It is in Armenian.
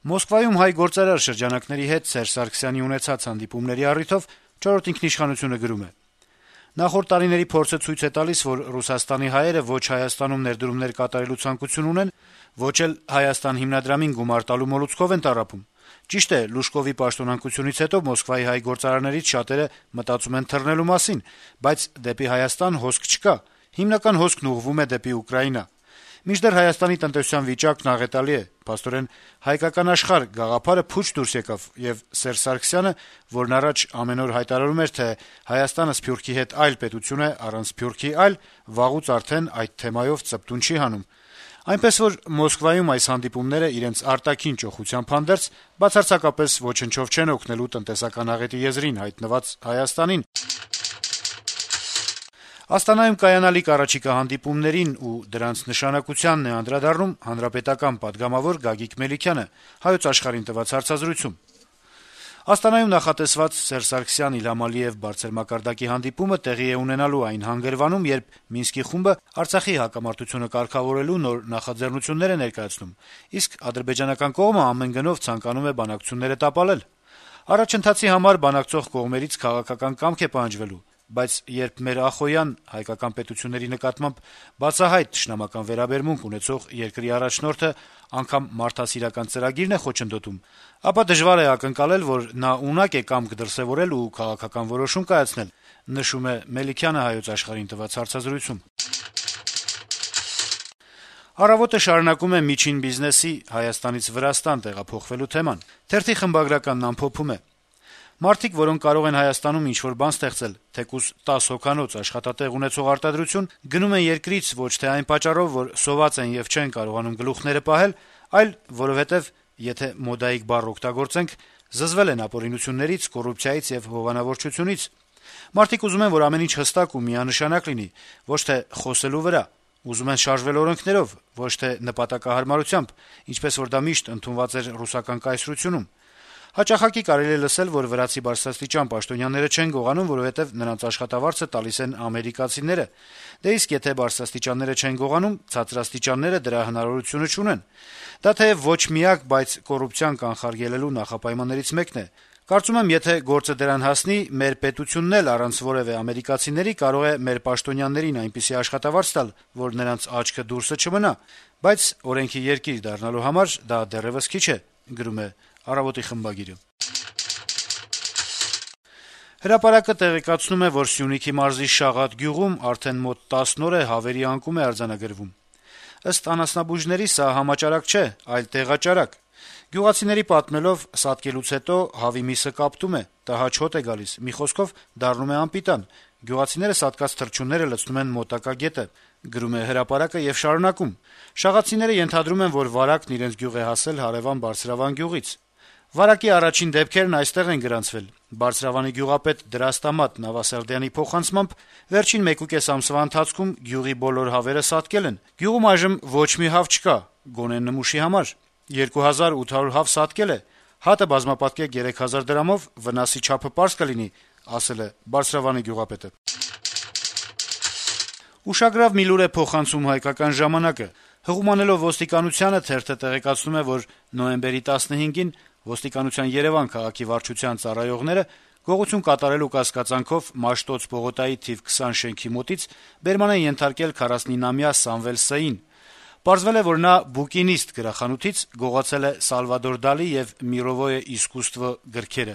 Մոսկվայում հայ գործարար շրջանակների հետ Սերժ Սարգսյանի ունեցած հանդիպումների առիթով «Չորրորդ ինքնիշխանություն»-ը գրում է. - «Նախորդ տարիների փորձը ցույց է տալիս, որ Ռուսաստանի հայերը ոչ Հայաստանում ներդրումներ կատարելու ցանկություն ունեն, ոչ էլ Հայաստան հիմնադրամին գումար տալու մոլուցքով են տառապում: Ճիշտ է, Լուժկովի պաշտոնանկությունից հետո Մոսկվայի հայ գործարարներից շատերը մտածում են թռնելու մասին, բայց դեպի Հայաստան հոսք չկա, հիմնական հոսքն ուղղվում է դեպի Ուկրաինա: Մինչդեռ Հայաստանի տնտեսության վիճակն աղետալի է, փաստորեն «Հայկական աշխարհ» գաղափարը փուչ դուրս եկավ, եւ Սերժ Սարգսյանը, որն առաջ ամեն օր հայտարարում էր, թե Հայաստանը Սփյուռքի հետ այլ պետություն է, առանց Սփյուռքի այլ, վաղուց արդեն այդ թեմայով ծպտուն չի հանում: Այնպես որ Մոսկվայում այս հանդիպումները իրենց արտաքին ճոխությամբ հանդերձ բացարձակապես ոչնչով չեն օգնելու տնտեսական աղետի եզրին հայտնված Հայաստանին»: Աստանայում կայանալիք առաջիկա հանդիպումներին ու դրանց նշանակությանն է անդրադառնում հանրապետական պատգամավոր Գագիկ Մելիքյանը «Հայոց Աշխարհ»-ին տված հարցազրույցում: Աստանայում նախատեսված Սերժ Սարգսյան-Իլհամ Ալիև բարձր մակարդակի հանդիպումը տեղի է ունենալու այն հանգրվանում, երբ Մինսկի խումբը Արցախի հակամարտությունը կարգավորելու նոր նախաձեռնություններ է ներկայացնում, իսկ ադրբեջանական կողմը ամեն գնով ցանկանում է բանակցությունները տապալել: Առաջընթացի համար բանակցող կողմերից քաղաքական կամք է պահանջվելու, բայց երբ մեր ախոյան, հայկական պետությունների նկատմամբ բացահայտ թշնամական վերաբերմունք ունեցող երկրի առաջնորդը անգամ մարդասիրական ծրագիրն է խոչընդոտում, ապա դժվար է ակնկալել, որ նա ունակ է կամք դրսեւորել ու քաղաքական որոշում կայացնել», - նշում է Մելիքյանը «Հայոց Աշխարհ»-ին տված հարցազրույցում: «Առավոտ»-ը շարունակում է միջին բիզնեսի Հայաստանից Վրաստան տեղափոխվելու թեման: Թերթի խմբագրականն ամփոփում է. - «Մարդիկ, որոնք կարող են Հայաստանում ինչ-որ բան ստեղծել, թեկուզ 10 հոգանոց աշխատատեղ ունեցող արտադրություն, գնում են երկրից ոչ թե այն պատճառով, որ սոված են եւ չեն կարողանում գլուխները պահել, այլ որովհետեւ, եթե մոդայիկ բառ օգտագործենք, զզվել են ապօրինություններից, կոռուպցիայից եւ հովանավորչությունից: Մարդիկ ուզում են, որ ամեն ինչ հստակ ու միանշանակ լինի, ոչ թե խոսելու վրա: Ուզում են շարժվել օրենքներով, ոչ թե նպատակահարմարությամբ, ինչպես որ դա միշտ ընդունված էր ռուսական կայսրությունում: Հաճախակի կարելի է լսել, որ վրացի բարձրաստիճան պաշտոնյաները չեն գողանում, որովհետեւ նրանց աշխատավարձը տալիս են ամերիկացիները: Դե իսկ եթե բարձրաստիճանները չեն գողանում, ցածրաստիճանները դրա հնարավորությունը չունեն: Դա թեեւ ոչ միակ, բայց կոռուպցիան կանխարգելելու նախապայմաններից մեկն է: Կարծում եմ, եթե գործը դրան հասնի, մեր պետությունն էլ առանց որեւէ ամերիկացիների կարող է մեր պաշտոնյաներին այնպիսի աշխատավարձ տալ, որ նրանց աչքը դուրսը չմնա: Բայց օրենքի երկիր դառնալու համար դա դեռեւս քիչ է»: «Հրապարակ»-ը տեղեկացնում է, որ Սյունիքի մարզի Շաղատ գյուղում արդեն մոտ 10 օր է հավերի անկում է արձանագրվում: Ըստ անասնաբույժների, սա համաճարակ չէ, այլ տեղաճարակ: Գյուղացիների պատմելով, սատկելուց հետո հավի միսը կապտում է, տհաճ հոտ է գալիս, մի խոսքով դառնում է անպիտան: Գյուղացիները սատկած թռչունները լցնում են մոտակա գետը: Եւ շարունակում. - «Շաղացիները ենթադրում են, որ վարակն իրենց գյուղ է հասել հարեւան Բարձրավան գյուղից: Վարակի առաջին դեպքերն այստեղ են գրանցվել: Բարձրավանի գյուղապետ Դրաստամատ Նավասարդյանի փոխանցմամբ, վերջին 1.5 ամսվա ընթացքում գյուղի բոլոր հավերը սատկել են: Գյուղում այժմ ոչ մի հավ չկա, գոնե նմուշի համար: 2800 հավ սատկել է: Հատը բազմապատկեք 3000 դրամով, վնասի չափը պարզ կլինի», - ասել է Բարձրավանի գյուղապետը: Ուշագրավ մի լուր է փոխանցում «Հայկական ժամանակ»-ը: Հղումանելով ոստիկանությանը` թերթը տեղեկացնում է, որ նոյեմբերի 15-ին ոստիկանության Երեւան քաղաքի վարչության ծառայողները գողություն կատարելու կասկածանքով Մաշտոց պողոտայի թիվ 20 շենքի մոտից բերման են ենթարկել 49-ամյա Սամվել Ս-ին: Պարզվել է, որ նա «Բուկինիստ» գրախանութից գողացել է Սալվադոր Դալի եւ «Միրովոյե իսկուսստվո» գրքերը: